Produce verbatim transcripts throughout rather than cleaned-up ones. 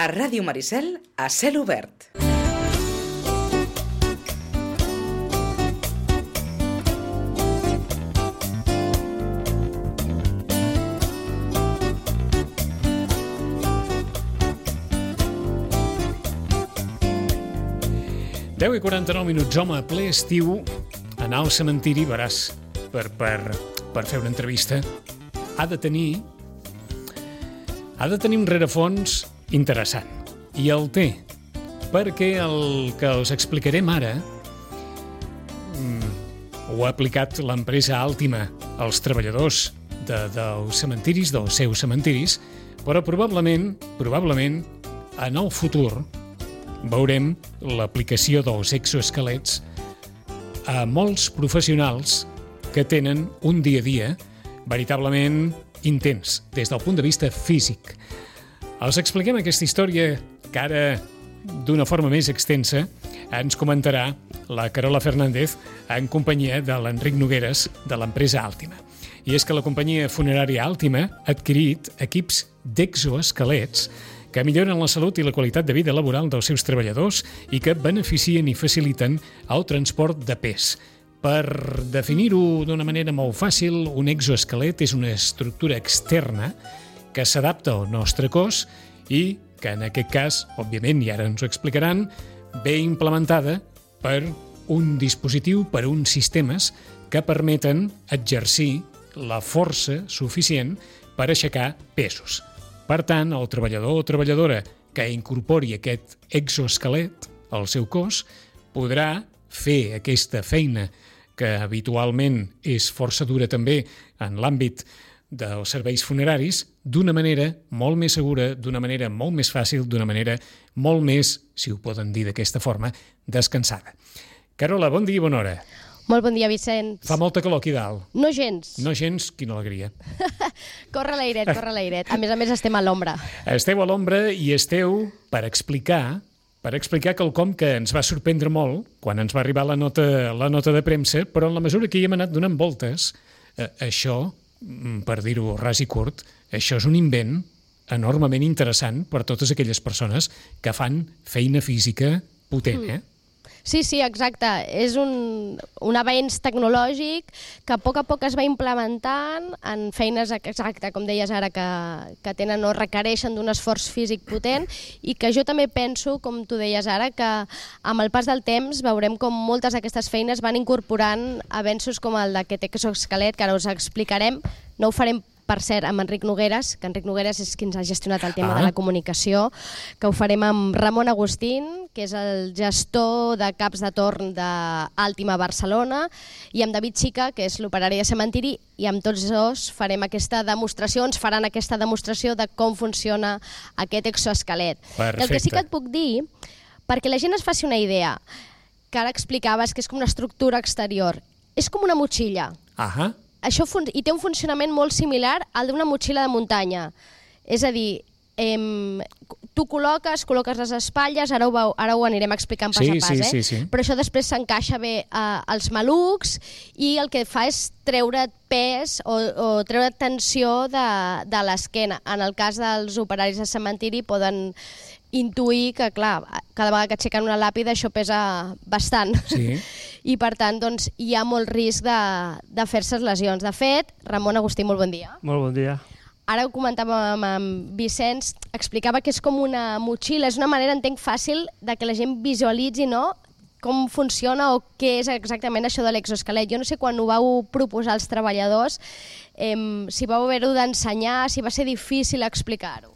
A Ràdio Maricel, a cel obert. deu i quaranta-nou minuts, home, ple estiu, anar al cementiri, veràs, per, per, per fer una entrevista, ha de tenir ha de tenir un rerefons interessant. I el té, perquè el que us explicarem ara ho ha aplicat l'empresa Altima als treballadors de, dels cementiris, dels seus cementiris, però probablement, probablement, en el futur, veurem l'aplicació dels exoesquelets a molts professionals que tenen un dia a dia veritablement intens, des del punt de vista físic. Els expliquem aquesta història que ara, d'una forma més extensa, ens comentarà la Carola Fernández en companyia de l'Enric Nogueres de l'empresa Altima. I és que la companyia funerària Altima ha adquirit equips d'exoesquelets que milloren la salut i la qualitat de vida laboral dels seus treballadors i que beneficien i faciliten el transport de pes. Per definir-ho d'una manera molt fàcil, un exoesquelet és una estructura externa que s'adapta al nostre cos i que en aquest cas, òbviament, i ara ens ho explicaran, ve implementada per un dispositiu, per uns sistemes que permeten exercir la força suficient per aixecar pesos. Per tant, el treballador o treballadora que incorpori aquest exoesquelet al seu cos podrà fer aquesta feina que habitualment és força dura també en l'àmbit dels serveis funeraris d'una manera molt més segura, d'una manera molt més fàcil, d'una manera molt més, si ho poden dir d'aquesta forma, descansada. Carola, bon dia i bona hora. Molt bon dia, Vicenç. Fa molta calor aquí dalt. No gens. No gens, quina alegria. Corre l'airet, corre l'airet. A més a més estem a l'ombra. Esteu a l'ombra i esteu per explicar per explicar quelcom que ens va sorprendre molt quan ens va arribar la nota, la nota de premsa, però en la mesura que hi hem anat donant voltes, eh, això, per dir-ho ras i curt, això és un invent enormement interessant per totes aquelles persones que fan feina física potent, eh? Sí, sí, exacte. És un, un avenç tecnològic que a poc a poc es va implementant en feines, exacte, com deies ara, que, que tenen o requereixen d'un esforç físic potent i que jo també penso, com tu deies ara, que amb el pas del temps veurem com moltes d'aquestes feines van incorporant avenços com el d'aquest exoesquelet, que ara us explicarem. No ho farem, per cert, amb Enric Nogueres, que Enric Nogueres és qui ens ha gestionat el tema ah. de la comunicació, que ho farem amb Ramon Agustín, que és el gestor de caps de torn d'Altima Barcelona, i amb David Xica, que és l'operari de cementiri, i amb tots dos farem aquesta demostració, ens faran aquesta demostració de com funciona aquest exoesquelet. Perfecte. El que sí que et puc dir, perquè la gent es faci una idea, que ara explicaves que és com una estructura exterior, és com una motxilla. Ahà. Això fun- i té un funcionament molt similar al d'una motxilla de muntanya. És a dir, em, tu col·loques, col·loques les espatlles, ara ho, veu, ara ho anirem explicant pas sí, a pas, sí, eh? sí, sí. Però això després s'encaixa bé eh, als malucs i el que fa és treure pes o, o treure tensió de, de l'esquena. En el cas dels operaris de cementiri poden intuir que, clar, cada vegada que aixequen una làpida això pesa bastant. Sí. I, per tant, doncs, hi ha molt risc de, de fer-se lesions. De fet, Ramon Agustí, molt bon dia. Molt bon dia. Ara ho comentàvem amb Vicenç, explicava que és com una motxilla, és una manera, entenc, fàcil de que la gent visualitzi, no?, com funciona o què és exactament això de l'exoesquelet. Jo no sé quan ho vau proposar als treballadors, eh, si vau haver-ho d'ensenyar, si va ser difícil explicar-ho.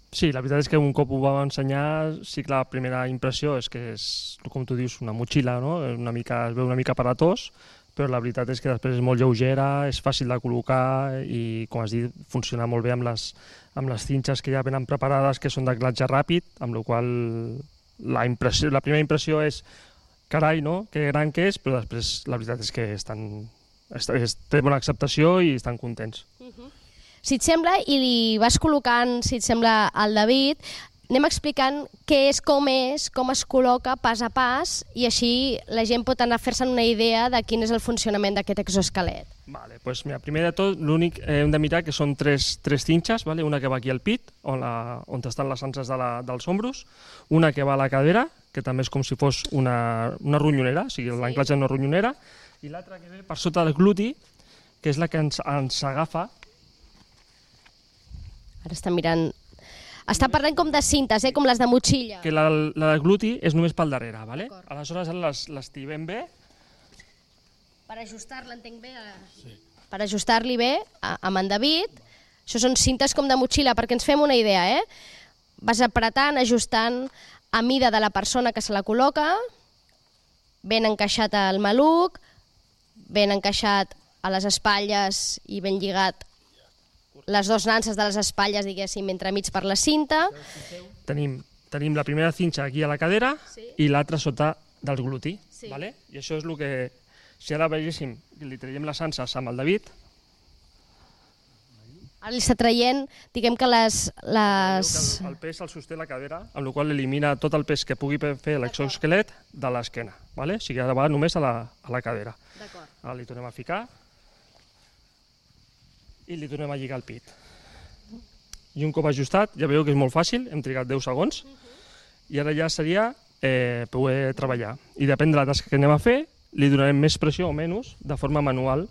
Sí, la veritat és que un cop ho vam ensenyar, sí que la primera impressió és que és, com tu dius, una motxilla, no? Una mica, es veu una mica aparatós, però la veritat és que després és molt lleugera, és fàcil de col·locar i, com has dit, funciona molt bé amb les, amb les cinxes que ja venen preparades, que són d'anclatge ràpid, amb la qual la, impressió, la primera impressió és carai, no?, que gran que és, però després la veritat és que estan, est, est, té bona acceptació i estan contents. Uh-huh. Si et sembla, i li vas col·locant, si et sembla, al David, anem explicant què és, com és, com es col·loca pas a pas, i així la gent pot anar a fer-se'n una idea de quin és el funcionament d'aquest exoesquelet. Vale, pues mira, primer de tot, l'únic eh, hem de mirar que són tres, tres cinxes, vale? Una que va aquí al pit, on, la, on estan les anses de la, dels ombros, una que va a la cadera, que també és com si fos una, una ronyonera, o sigui, l'anclatge en una ronyonera, i l'altra que ve per sota del gluti, que és la que ens, ens agafa. Ara està mirant... Està parlant com de cintes, eh? Com les de motxilla. Que la, la del gluti és només pel darrere, vale? Aleshores les, les tibem bé. Per ajustar-la, entenc bé, a... sí. Per ajustar-li bé a, amb en David. Això són cintes com de motxilla, perquè ens fem una idea, eh? Vas apretant, ajustant a mida de la persona que se la col·loca, ben encaixat al maluc, ben encaixat a les espatlles i ben lligat les dues nanses de les espatlles, diguéssim, entremig per la cinta. Tenim, tenim la primera cinxa aquí a la cadera, sí, i l'altra sota del gluti. Sí. Vale? I això és el que, si ara veiéssim, li traiem les anses amb el David. Ara li està traient, diguem que les... les... El, el pes el sosté la cadera, amb la qual elimina tot el pes que pugui fer l'exoesquelet de l'esquena. Vale? O sigui, ara va només a la, a la cadera. Ara li tornem a ficar i li tornem a lligar el pit. I un cop ajustat, ja veieu que és molt fàcil, hem trigat deu segons, i ara ja seria eh, poder treballar. I depèn de la tasca que anem a fer, li donarem més pressió o menys de forma manual.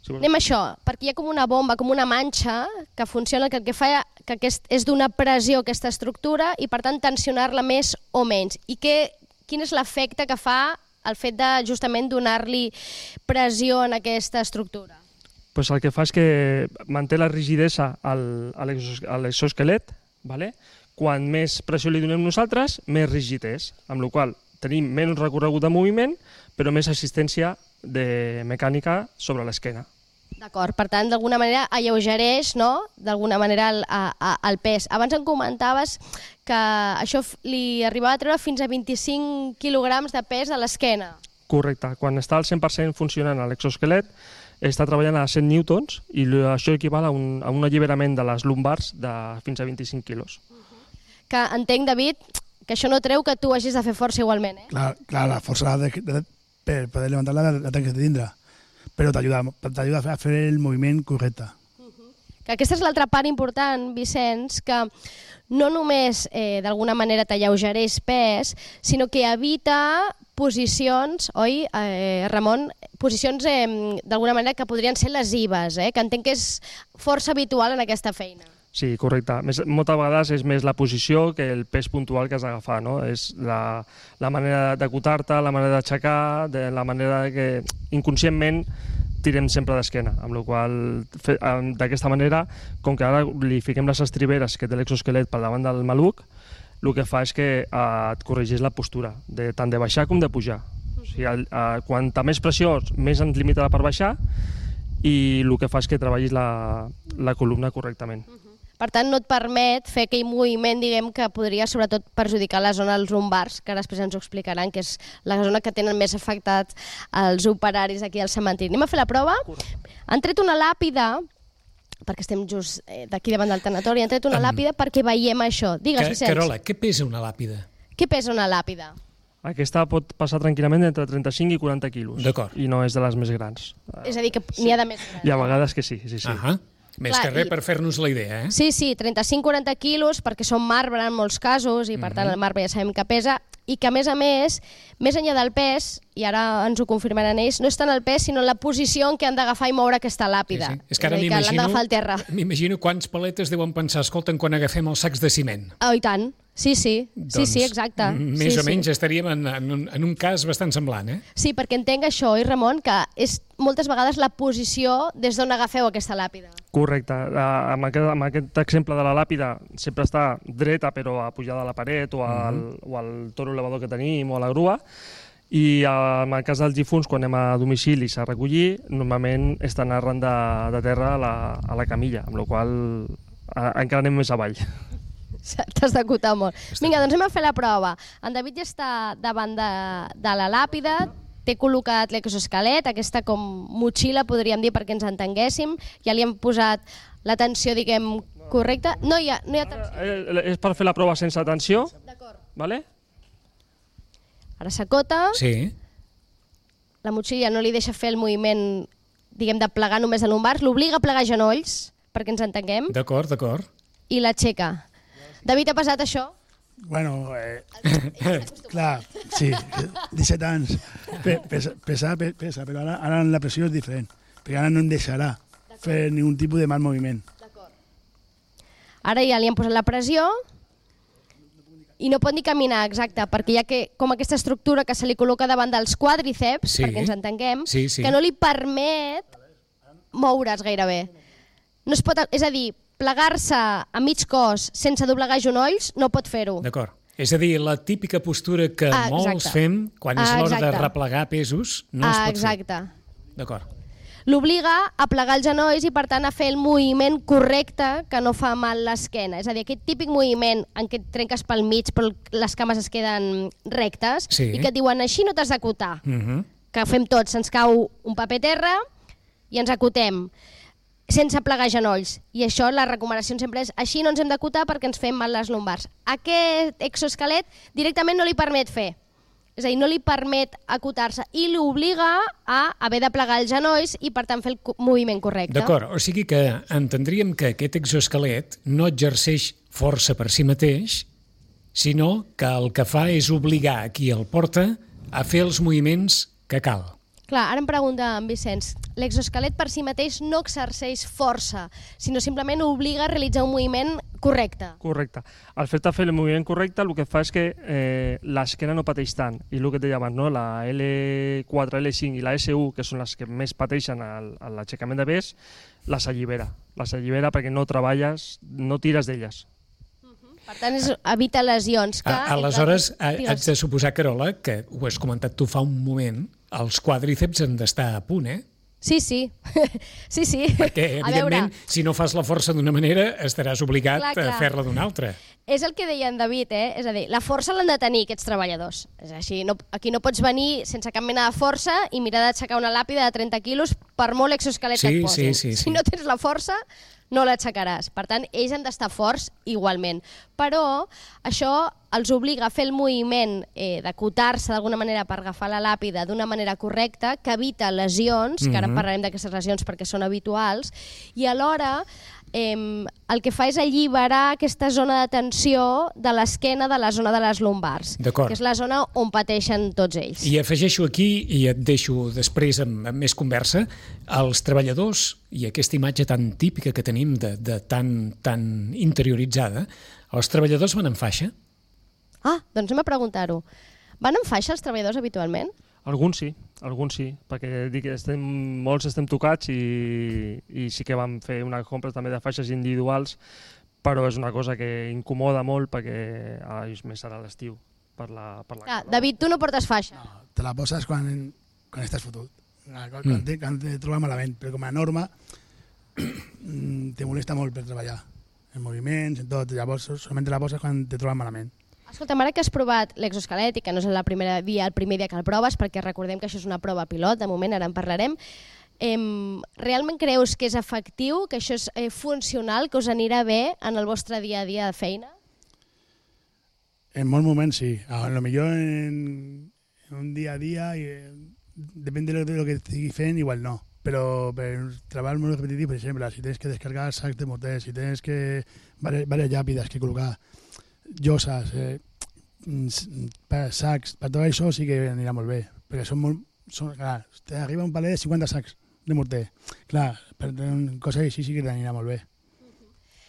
Si anem a això, perquè hi ha com una bomba, com una manxa, que funciona, que el que fa que aquest, és donar pressió a aquesta estructura i, per tant, tensionar-la més o menys. I què, quin és l'efecte que fa el fet de, justament, donar-li pressió en aquesta estructura? Pues el que fa és que manté la rigidesa a l'exoesquelet, vale? Quan més pressió li donem nosaltres, més rígid és, amb la qual cosa tenim menys recorregut de moviment, però més assistència de mecànica sobre l'esquena. D'acord, per tant, d'alguna manera alleugereix, no?, d'alguna manera el, a, el pes. Abans em comentaves que això li arribava a treure fins a vint-i-cinc quilograms de pes a l'esquena. Correcte, quan està al cent per cent funcionant l'exoesquelet, està treballant a cent newtons i això equival a un, a un alliberament de les lumbars de fins a vint-i-cinc quilos. Que entenc, David, que això no treu que tu hagis de fer força igualment, eh? Clar, clar, la força de, de, per poder levantar-la la tens que tindre, però t'ajuda a fer el moviment correcte. Que aquesta és l'altra part important, Vicenç, que no només eh, d'alguna manera t'alleugereix pes, sinó que evita posicions, oi, eh, Ramon? Posicions eh, d'alguna manera que podrien ser lesives, eh? Que entenc que és força habitual en aquesta feina. Sí, correcte. Més, moltes vegades és més la posició que el pes puntual que has d'agafar, no? És la, la manera d'acotar-te, la manera d'aixecar, de la manera que inconscientment tirem sempre d'esquena, amb la qual d'aquesta manera, com que ara li fiquem les estriberes que té l'exoesquelet per davant del maluc, el que fa és que eh, et corregeix la postura, de, tant de baixar com de pujar. O sigui, eh, quanta més pressió, més ens limita per baixar, i el que fa és que treballis la, la columna correctament. Per tant, no et permet fer aquell moviment, diguem, que podria sobretot perjudicar la zona dels lumbars, que després ens ho explicaran, que és la zona que tenen més afectats els operaris aquí al cementiri. Anem a fer la prova? Correcte. Han tret una làpida, perquè estem just d'aquí davant del tanatori, han tret una um, làpida perquè veiem això. Digues, Vicenç. Carola, què pesa una làpida? Què pesa una làpida? Aquesta pot passar tranquil·lament entre trenta-cinc i quaranta quilos. D'acord. I no és de les més grans. És a dir, que n'hi ha de més grans. Hi ha vegades que sí, sí, sí. Ahà. Més Clar, que res i... per fer-nos la idea, eh? Sí, sí, trenta-cinc a quaranta quilos, perquè són marbre en molts casos, i per mm-hmm. tant el marbre ja sabem que pesa, i que a més a més, més enllà del pes, i ara ens ho confirmaran ells, no és tant el pes, sinó la posició en què han d'agafar i moure aquesta làpida. Sí, sí. És que ara m'imagino m'imagino quants paletes deuen pensar, escolten, quan agafem els sacs de ciment. Oh, i tant. Sí, sí, doncs, sí, sí, exacte. Més sí, o menys sí. estaríem en, en, un, en un cas bastant semblant, eh? Sí, perquè entenc això, oi, Ramon, que és moltes vegades la posició des d'on agafeu aquesta làpida. Correcte. Amb aquest, amb aquest exemple de la làpida sempre està dreta, però apujada a la paret o al, mm-hmm. o al toro elevador que tenim o a la grua. I en el cas dels difunts, quan anem a domicili a recollir, normalment estan arran de, de terra a la, a la camilla, amb la qual cosa encara anem més avall. T'has d'acotar molt. Vinga, doncs anem a fer la prova. En David ja està davant de, de la làpida, té col·locat l'exoesquelet, aquesta com motxilla, podríem dir, perquè ens entenguéssim. Ja li hem posat la tensió, diguem, correcte? No hi ha, no hi ha tensió. Eh, És per fer la prova sense tensió. D'acord. Vale? Ara s'acota, Sí, la motxilla no li deixa fer el moviment, diguem, de plegar només a lumbars, l'obliga a plegar genolls, perquè ens entenguem, d'acord, d'acord. i l'aixeca. David, ha passat això? Bueno, eh, clar, sí, disset anys. Pe, pesa, pesa, pe- pesa, però ara, ara la pressió és diferent, perquè ara no em deixarà fer ningun tipus de mal moviment. Ara ja li han posat la pressió i no pot ni caminar, exacte, perquè hi ha que, com aquesta estructura que se li col·loca davant dels quàdriceps, Sí. perquè ens entenguem, Sí, sí. que no li permet moure's gairebé. No es pot, és a dir, plegar-se a mig cos sense doblegar genolls no pot fer-ho. D'acord. És a dir, la típica postura que Ah, molts exacte. fem quan és Ah, l'hora de exacte. replegar pesos, no es Ah, pot fer. exacte. D'acord. L'obliga a plegar els genolls i, per tant, a fer el moviment correcte que no fa mal l'esquena. És a dir, aquest típic moviment en què et trenques pel mig però les cames es queden rectes Sí. i que et diuen així no t'has d'acotar. Mhm. Que fem tots, se'ns cau un paper a terra i ens acotem sense plegar genolls. I això, la recomanació sempre és així no ens hem d'acotar perquè ens fem mal les lumbars. Aquest exoesquelet directament no li permet fer. És a dir, no li permet acotar-se i l'obliga a haver de plegar els genolls i, per tant, fer el co- moviment correcte. D'acord, o sigui que entendríem que aquest exoesquelet no exerceix força per si mateix, sinó que el que fa és obligar a qui el porta a fer els moviments que cal. Clar, ara em pregunta en Vicenç, l'exoesquelet per si mateix no exerceix força, sinó simplement obliga a realitzar un moviment correcte. Correcte. Al fet de fer el moviment correcte, el que fa és que eh, l'esquena no pateix tant. I el que et deia abans, no? La L quatre, L cinc i la S u, que són les que més pateixen al- a l'aixecament de pes, les allibera. Les allibera perquè no treballes, no tires d'elles. Per tant, és, evita lesions. Que, A, aleshores, entre- ha- digues. haig de suposar, Carola, que ho has comentat tu fa un moment, els quàdriceps han d'estar a punt, eh? Sí, sí. sí, sí. Perquè, A evidentment, veure, si no fas la força d'una manera, estaràs obligat Clar, a clar. fer-la d'una altra. és el que deia en David, eh? És a dir, la força l'han de tenir aquests treballadors. És així, no, aquí no pots venir sense cap mena de força i mirar d'aixecar una làpida de trenta quilos per molt exoesquelet Sí, que et posin. sí, sí, sí. Si no tens la força, no l'aixecaràs. Per tant, ells han d'estar forts igualment. Però això els obliga a fer el moviment eh, d'acotar-se d'alguna manera per agafar la làpida d'una manera correcta, que evita lesions, que ara Mhm. parlarem d'aquestes lesions perquè són habituals, i alhora eh, el que fa és alliberar aquesta zona de tensió de l'esquena de la zona de les lumbars, D'acord. que és la zona on pateixen tots ells. I afegeixo aquí, i et deixo després amb, amb més conversa, els treballadors i aquesta imatge tan típica que tenim de, de tan, tan interioritzada, els treballadors van en faixa? Ah, doncs anem a preguntar-ho. Van en faixa els treballadors habitualment? Alguns sí, alguns sí, perquè dic, que estem, molts estem tocats i, i sí que vam fer una compra també de faixes individuals, però és una cosa que incomoda molt perquè ara és més ara a l'estiu. Per la, per la Ah, calor. David, tu no portes faixa. No, te la poses quan, quan estàs fotut, quan, quan, Mm. te, quan te trobes malament, però com a norma mm, te molesta molt per treballar, en moviments, en tot, llavors solament te la poses quan te trobes malament. Escolta, ara que has provat l'exoesquelet i que no és la primera dia, el primer dia que el proves, perquè recordem que això és una prova pilot, de moment ara en parlarem, em, realment creus que és efectiu, que això és eh, funcional, que us anirà bé en el vostre dia a dia de feina? En molts moments sí, a lo millor en, en un dia a dia, i, eh, depèn de lo, de lo que estigui fent, igual no. Però per treball molt repetitiu, per exemple, si tens que descargar sacs de morter, si tens que varias, varias llàpides que col·locar, lloses, eh, mm, per sacs, per tot això sí que anirà molt bé, perquè són molt, són, clar, t'arriba un palet de cinquanta sacs de morter, clar, per coses així sí que t'anirà molt bé.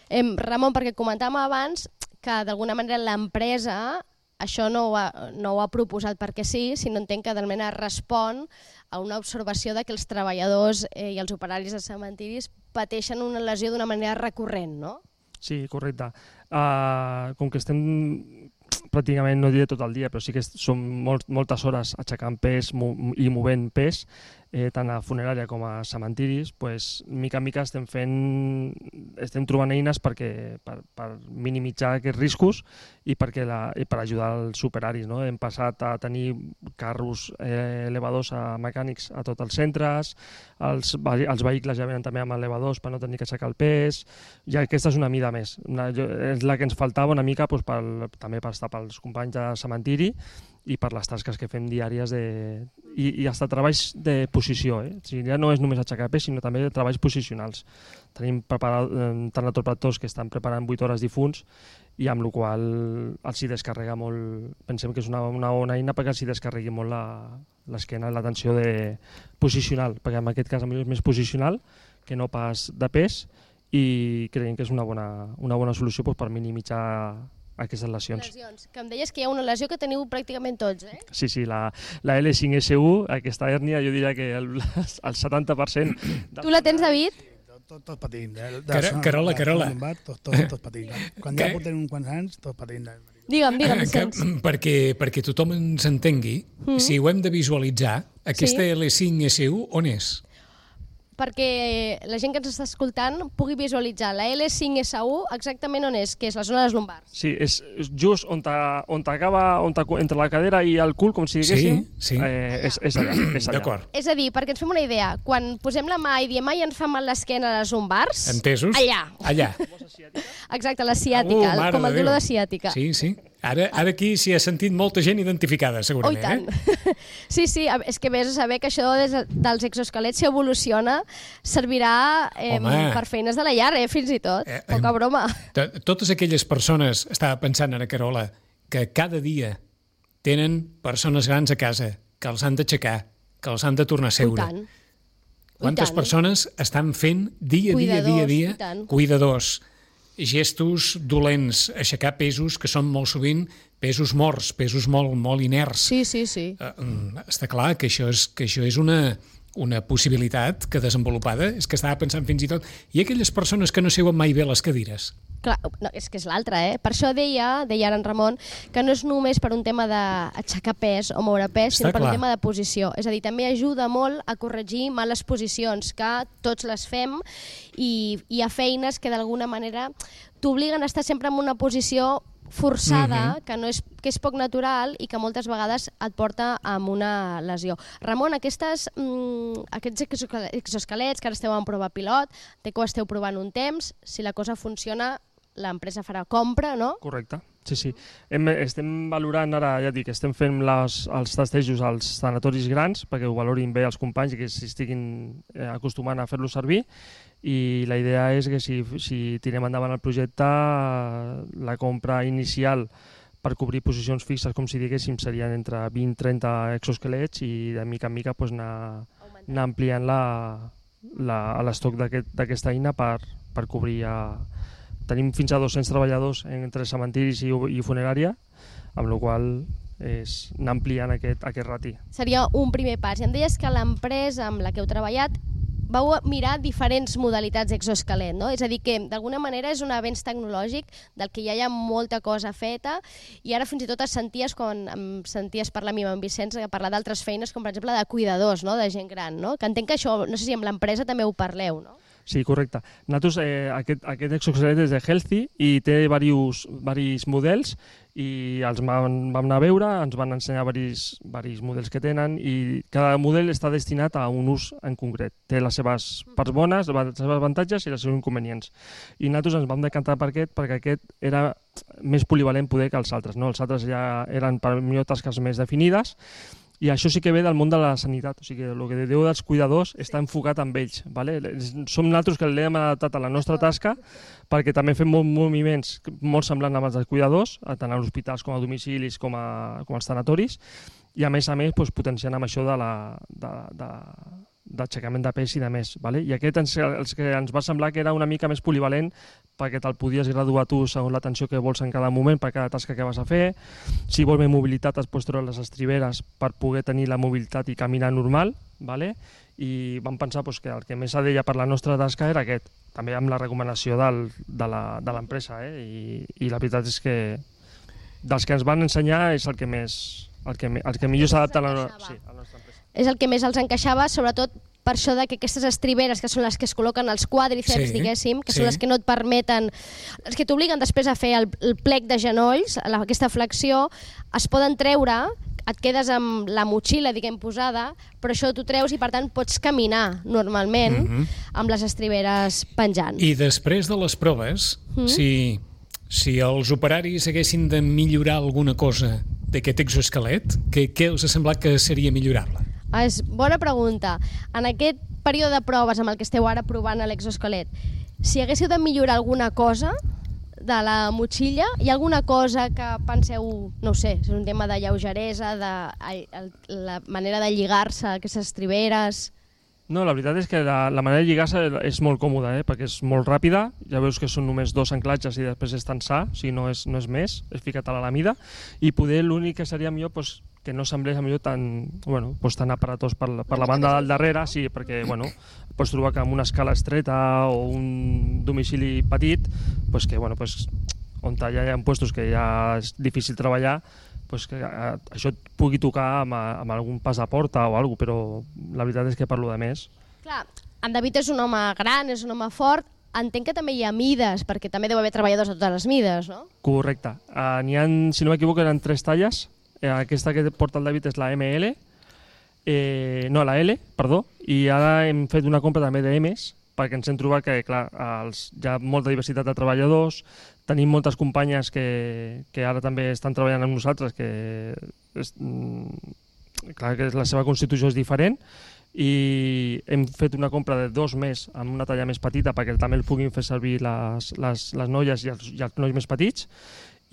Em, Ramon, perquè comentàvem abans que d'alguna manera l'empresa això no ho, ha, no ho ha proposat perquè sí, sinó entenc que d'alguna manera respon a una observació de que els treballadors eh, i els operaris de cementiris pateixen una lesió d'una manera recurrent, no? Sí, correcte. Uh, com que estem pràcticament, no diré tot el dia, però sí que són molt, moltes hores aixecant pes mo i movent pes, eh, tant a funerària com a cementiris, pues, mica en mica estem fent, estem trobant eines perquè, per, per minimitzar aquests riscos i, perquè la, i per ajudar els operaris. No? Hem passat a tenir carros eh, elevadors a mecànics a tots els centres, els, els vehicles ja venen també amb elevadors per no tenir que aixecar el pes, i aquesta és una mida més. Una, és la que ens faltava una mica pues, pel, també per estar pels companys de cementiri i per les tasques que fem diàries de... I, i hasta treballs de posició. Eh? O sigui, ja no és només aixecar pes, sinó també treballs posicionals. Tenim preparat, eh, tanatoplators que estan preparant vuit hores difunts i amb la qual els hi descarrega molt... Pensem que és una, una bona eina perquè els hi descarregui molt l'esquena i la tensió de posicional, perquè en aquest cas és més posicional que no pas de pes, i creiem que és una bona, una bona solució doncs, per minimitzar aquestes lesions. Lesions. Que em deies que hi ha una lesió que teniu pràcticament tots, eh? Sí, sí, la, la L cinc S U, aquesta hèrnia, jo diria que el, el setanta per cent... Tu la tens, David? Tot, tot patint. De, de Car Carola, Carola. Tot, tot, tot patint. Quan ja portem uns quants anys, tot patint. Digue'm, digue'm, Vicenç. Perquè, perquè tothom ens entengui, mm. si ho hem de visualitzar, aquesta sí. L cinc S U on és? Perquè la gent que ens està escoltant pugui visualitzar la L cinc S U exactament on és, que és la zona dels lumbars. Sí, és just on t'acaba, entre la cadera i el cul, com si diguéssim, sí, sí. Eh, és, és allà. És, allà. És a dir, perquè ens fem una idea, quan posem la mà i diem ai, ens fa mal l'esquena a les lumbars... Entesos? Allà. Allà. Exacte, la ciàtica, uh, com el dolor de ciàtica. Sí, sí. Ara, ara aquí s'hi ha sentit molta gent identificada, segurament. Oh, i tant. Eh? Sí, sí, és que vés a saber que això des dels exoesquelets, si evoluciona, servirà eh, per feines de la llar, eh, fins i tot. Eh, Poca broma. Totes aquelles persones, estava pensant ara, Carola, que cada dia tenen persones grans a casa, que els han d'aixecar, que els han de tornar a seure. I tant. Quantes I tant. persones estan fent dia a dia, dia a dia, cuidadors, gestos dolents, aixecar pesos que són molt sovint pesos morts, pesos molt, molt inerts. Sí, sí, sí. Uh, està clar que això és, que això és una, una possibilitat que desenvolupada, és que estava pensant fins i tot, i aquelles persones que no seuen mai bé les cadires. Clar, no, és que és l'altra, eh? Per això deia, deia ara en Ramon, que no és només per un tema d'aixecar pes o moure pes, sinó per un tema de posició. És a dir, també ajuda molt a corregir males posicions, que tots les fem, i hi ha feines que d'alguna manera t'obliguen a estar sempre en una posició forçada, mm-hmm. que, no és, que és poc natural i que moltes vegades et porta a una lesió. Ramon, aquestes, mm, aquests exoesquelets que ara esteu en prova pilot, té que ho esteu provant un temps, si la cosa funciona, l'empresa farà compra, no? Correcte, sí, sí. Hem, estem valorant ara, ja dic, estem fent les, els testejos als tanatoris grans perquè ho valorin bé els companys i que s'estiguin eh, acostumant a fer-lo servir, i la idea és que si, si tirem endavant el projecte, la compra inicial per cobrir posicions fixes, com si diguéssim, serien entre vint a trenta exoesquelets, i de mica en mica pues, anar, anar ampliant l'estoc d'aquesta eina per, per cobrir a... Tenim fins a dos-cents treballadors entre cementiris i, i funerària, amb la qual és anar ampliant aquest, aquest rati. Seria un primer pas. I em deies que l'empresa amb la que heu treballat vau mirar diferents modalitats d'exoesquelet, no? És a dir, que d'alguna manera és un avenç tecnològic del que ja hi ha molta cosa feta, i ara fins i tot es senties, quan em senties parlar a mi amb en Vicenç, parlar d'altres feines, com per exemple de cuidadors, no? De gent gran, no? Que entenc que això, no sé si amb l'empresa també ho parleu, no? Sí, correcte. Nosaltres, eh, aquest, aquest exoesquelet és de Healthy i té diversos, diversos models, i els vam, vam anar a veure, ens van ensenyar diversos, diversos models que tenen, i cada model està destinat a un ús en concret. Té les seves parts bones, les seves avantatges i els seus inconvenients. I nosaltres ens vam decantar per aquest perquè aquest era més polivalent poder que els altres, no? Els altres ja eren per millor tasques més definides, i això sí que ve del món de la sanitat, o sigui, el que diu dels cuidadors està enfocat amb ells. Vale? Som nosaltres que l'hem adaptat a la nostra tasca, perquè també fem molts moviments molt semblants amb els dels cuidadors, tant a hospitals com a domicilis com, a, com als tanatoris, i a més a més doncs, potenciant amb això de la... De, de, d'aixecament de pes i de més. Vale? I aquest ens, els que ens va semblar que era una mica més polivalent, perquè te'l podies graduar tu segons l'atenció que vols en cada moment per cada tasca que vas a fer. Si vols més mobilitat es pots treure les estriberes per poder tenir la mobilitat i caminar normal. Vale? I vam pensar pues, que el que més adeia per la nostra tasca era aquest, també amb la recomanació del, de l'empresa. Eh? I, I la veritat és que dels que ens van ensenyar és el que més el que, el que millor s'adapta a la, sí, a la nostra empresa. és el que més els encaixava, sobretot per això de que aquestes estriberes, que són les que es col·loquen als quàdriceps, Sí, diguéssim, que sí. són les que no et permeten, les que t'obliguen després a fer el, el plec de genolls, la, aquesta flexió, es poden treure, et quedes amb la motxilla, diguem, posada, però això t'ho treus i, per tant, pots caminar normalment Mhm. amb les estriberes penjant. I després de les proves, Mm. si, si els operaris haguessin de millorar alguna cosa d'aquest exoesquelet, què, què us ha semblat que seria millorable? Ah, és bona pregunta. En aquest període de proves amb el que esteu ara provant a l'exoesquelet, si haguéssiu de millorar alguna cosa de la motxilla, hi ha alguna cosa que penseu, no ho sé, és un tema de lleugeresa, de el, la manera de lligar-se a aquestes estriberes... No, la veritat és que la, la manera de lligar-se és molt còmoda, eh? Perquè és molt ràpida, ja veus que són només dos anclatges i després és tensar, o sigui, no és, no és més, és ficat a la mida, i poder l'únic que seria millor pues, que no semblés millor tan, bueno, pues, tan aparatós per, la- per la banda del darrere, sí, perquè bueno, pots trobar que amb una escala estreta o un domicili petit, pues, que, bueno, pues, on ja hi ha puestos que ja és difícil treballar, pues que eh, això et pugui tocar amb, amb algun pas de porta o alguna cosa, però la veritat és que parlo de més. Clar, en David és un home gran, és un home fort, entenc que també hi ha mides, perquè també deu haver treballadors de totes les mides, no? Correcte. Uh, N'hi ha, si no m'equivoco, eren tres talles. Eh, aquesta que porta el David és la eme ele, eh, no, la ele, perdó, i ara hem fet una compra també de emes, perquè ens hem trobat que, clar, els, hi ha molta diversitat de treballadors, tenim moltes companyes que, que ara també estan treballant amb nosaltres, que és, mm, clar que la seva constitució és diferent, i hem fet una compra de dos més amb una talla més petita perquè també el puguin fer servir les, les, les noies i els, i els nois més petits,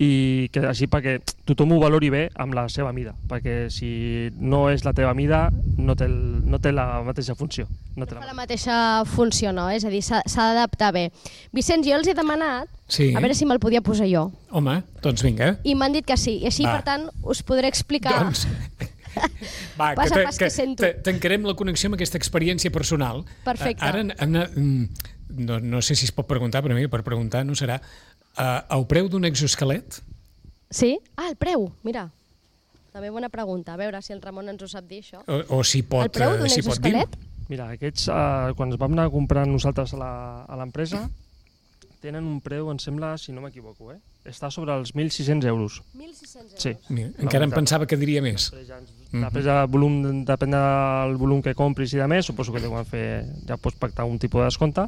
i que així perquè tothom ho valori bé amb la seva mida, perquè si no és la teva mida no té, el, no té la mateixa funció. No té Fa la la mateixa funció, no? És a dir, s'ha s'ha d'adaptar bé. Vicenç, jo els he demanat, Sí. a veure si me'l podia posar jo, Home, doncs vinga. i m'han dit que sí, i així, Va. per tant, us podré explicar... Doncs... Va, Passa que, pas te- que sento. te- tancarem la connexió amb aquesta experiència personal. Perfecte. Eh, Ara, Anna, mm, no, no sé si es pot preguntar, però mira, per preguntar no serà. Uh, el preu d'un exoesquelet? Sí? Ah, el preu, mira. També bona pregunta. A veure si el Ramon ens ho sap dir, això. O, o si pot, El preu d'un eh, si pot dir? exoesquelet? Mira, aquests, eh, quan ens vam anar a comprar nosaltres a la- a l'empresa, tenen un preu, em sembla, si no m'equivoco, eh? està sobre els mil sis-cents euros. mil sis-cents euros. Sí. Mira, La encara em veritat. pensava que diria més. Després, ja ens, Mhm. després del volum, depèn del volum que compris i de més, suposo que deuen fer, ja pots pactar un tipus de descompte,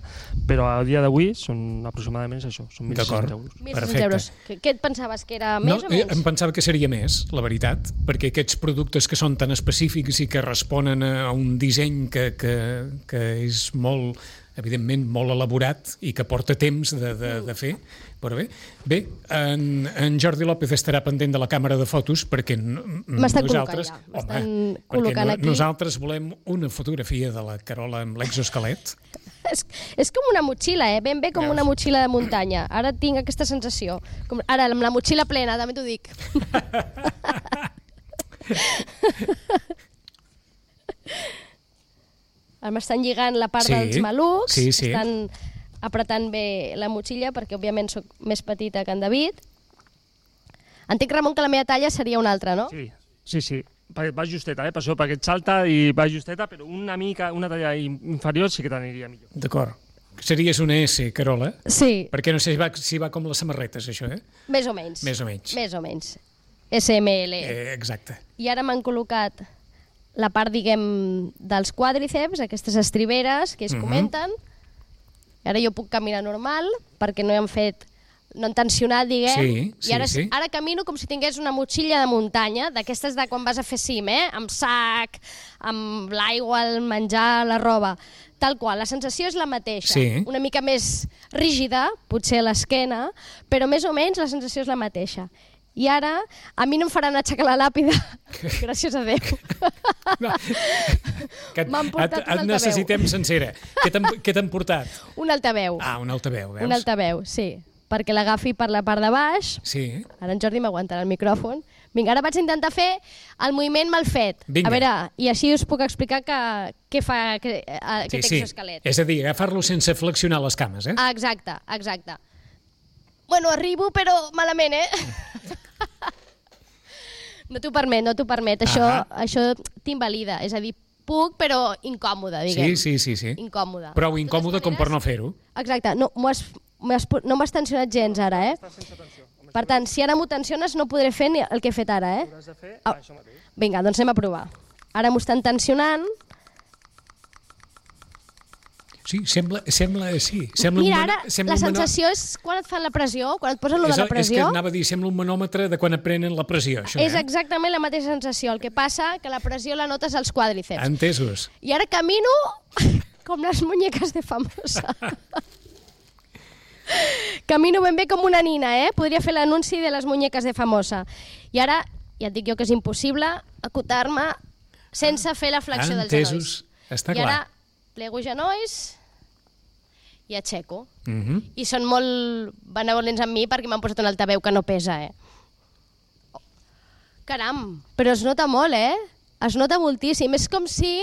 però a dia d'avui són aproximadament això, són mil sis-cents D'acord. euros. mil sis-cents Perfecte. euros. Què, què et pensaves, que era No, més o eh, menys? em pensava que seria més, la veritat, perquè aquests productes que són tan específics i que responen a un disseny que, que, que és molt, evidentment, molt elaborat i que porta temps de, de, de fer, però bé, bé en, en Jordi López estarà pendent de la càmera de fotos perquè n- M'estan nosaltres, col·locant ja, m'estan home, perquè col·locant no, aquí. nosaltres volem una fotografia de la Carola amb l'exoesquelet. És, és com una motxilla, eh? Ben bé com Veus? una motxilla de muntanya. Ara tinc aquesta sensació. Com, ara, amb la motxilla plena, també t'ho dic. Ara m'estan lligant la part Sí, dels malucs, sí, sí. estan apretant bé la motxilla, perquè òbviament sóc més petita que en David. Entenc, Ramon, que la meva talla seria una altra, no? Sí, sí, sí. Perquè va justeta, eh? Per això, perquè et salta i va justeta, però una mica, una talla inferior sí que t'aniria millor. D'acord. Series una S, Carola? Sí, Perquè no sé si va, si va com les samarretes, això, eh? més o menys. Més o menys. Més o menys. esse eme ele. Eh, exacte. I ara m'han col·locat la part, diguem, dels quàdriceps, aquestes estriberes que es Mhm. comenten. Ara jo puc caminar normal, perquè no he fet, no han tensionat, diguem. Sí, sí, I ara, sí. ara camino com si tingués una motxilla de muntanya, d'aquestes de quan vas a fer cim, eh? Amb sac, amb l'aigua, el menjar, la roba. Tal qual, la sensació és la mateixa. Sí. Una mica més rígida, potser a l'esquena, però més o menys la sensació és la mateixa. I ara, a mi no em faran aixecar la làpida, gràcies a Déu. No. Que et, M'han portat et, un et altaveu. necessitem sencera. Què t'han què t'han portat? Un altaveu, Ah, un altaveu, veus? un altaveu, sí, perquè l'agafi per la part de baix. Sí. Ara en Jordi m'aguantarà el micròfon. Vinga, ara vaig intentar fer el moviment mal fet. Vinga. A veure, i així us puc explicar que, què fa que, eh, aquest sí, sí. exoesquelet. És a dir, agafar-lo sense flexionar les cames, eh? Ah, exacte, exacte. Bueno, arribo, però malament, eh? No t'ho permet, no t'ho permet. Això, Ahà. això t'invalida. És a dir, puc, però incòmode, diguem. Sí, sí, sí, sí. Incòmode. Prou De incòmode totes com per maneres- no fer-ho. Exacte, no m'has m'has pu- no m'has tensionat gens ara, eh? Per tant, si ara m'ho tensiones no podré fer ni el que he fet ara, eh? Hauràs de fer Au. això mateix. Vinga, doncs anem a provar. Ara m'ho estan tensionant. Sí, sembla, sembla, sí. Sembla Mira, un ara mano- sembla la un mano- sensació és quan et fan la pressió, quan et posen lo És, de la el- és que pressió, anava a dir, sembla un manòmetre de quan et prenen la pressió, això, és eh? exactament la mateixa sensació. El que passa que la pressió la notes als quàdriceps. Entesos. I ara camino com les muñeques de famosa. Camino ben bé com una nina, eh? Podria fer l'anunci de les muñeques de famosa. I ara, ja et dic jo que és impossible acotar-me sense fer la flexió dels genolls. Entesos. Està I ara clar. plego genolls i aixeco. Mhm. I són molt benevolents amb mi perquè m'han posat un altaveu que no pesa, eh? Oh. Caram, però es nota molt, eh? Es nota moltíssim. És com si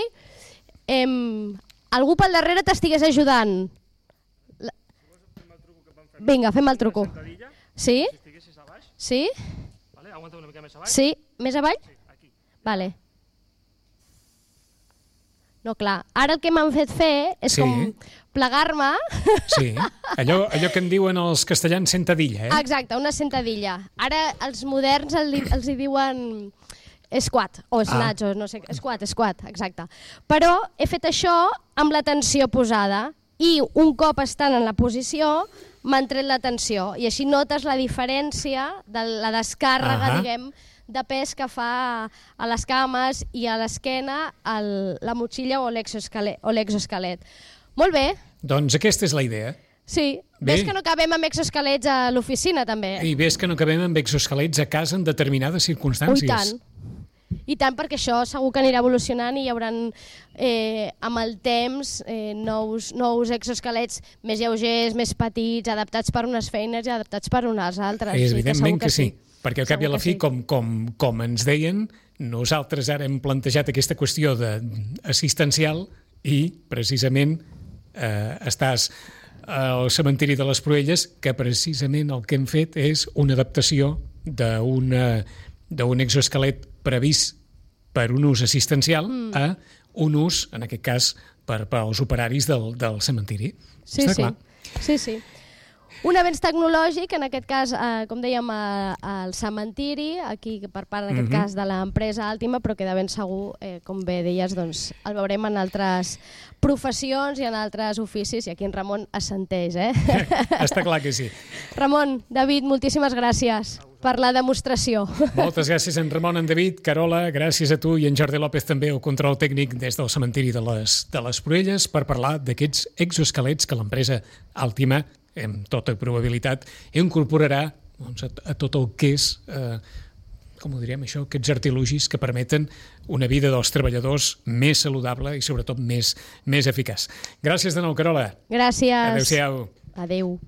em, algú pel darrere t'estigués ajudant. La... Vinga, fem el truco. Sentadilla, Sí? si estiguessis a baix, Sí? vale? Aguanta una mica més a baix. Sí? Més avall? Sí, aquí. Vale. No, clar. Ara el que m'han fet fer és Sí. com plegar-me. Sí, allò, allò que en diuen els castellans sentadilla, eh? Exacte, una sentadilla. Ara els moderns el, di- els hi diuen squat, o snatch, o no sé, squat, squat, exacte. Però he fet això amb la tensió posada i un cop estant en la posició m'han tret la tensió i així notes la diferència de la descàrrega, Ahà. diguem, de pes que fa a les cames i a l'esquena el- la motxilla o l'exoesquelet. o l'exoesquelet. Molt bé, Doncs aquesta és la idea. sí. Bé. Ves que no acabem amb exoesquelets a l'oficina, també. I ves que no acabem amb exoesquelets a casa en determinades Ui, circumstàncies. tant. I tant, perquè això segur que anirà evolucionant i hi haurà eh, amb el temps eh, nous, nous exoesquelets més lleugers, més petits, adaptats per unes feines i adaptats per unes altres. És Sí, evidentment segur que sí, perquè al cap i a Segur la que fi, sí. com, com, com ens deien, nosaltres ara hem plantejat aquesta qüestió de assistencial i, precisament, eh, estàs al cementiri de les Proelles, que precisament el que hem fet és una adaptació d'una d'un exoesquelet previst per un ús assistencial Mm. a un ús, en aquest cas, per, per als operaris del, del cementiri. Sí, Està sí. clar. sí, sí. Un avenç tecnològic, en aquest cas, eh, com dèiem, a- al cementiri, aquí per part, en aquest Mhm. cas, de l'empresa Àltima, però que de ben segur, eh, com bé deies, doncs, el veurem en altres professions i en altres oficis, i aquí en Ramon assenteix, eh? Està clar que sí. Ramon, David, moltíssimes gràcies per la demostració. Moltes gràcies, en Ramon, en David, Carola, gràcies a tu i en Jordi López també al control tècnic des del cementiri de les, de les Proelles per parlar d'aquests exoesquelets que l'empresa Àltima, amb tota probabilitat, incorporarà doncs, a, a tot el que és, eh, com ho diríem això, aquests artilugis que permeten una vida dels treballadors més saludable i sobretot més, més eficaç. Gràcies de nou, Carola. Gràcies. Adéu-siau. Adéu.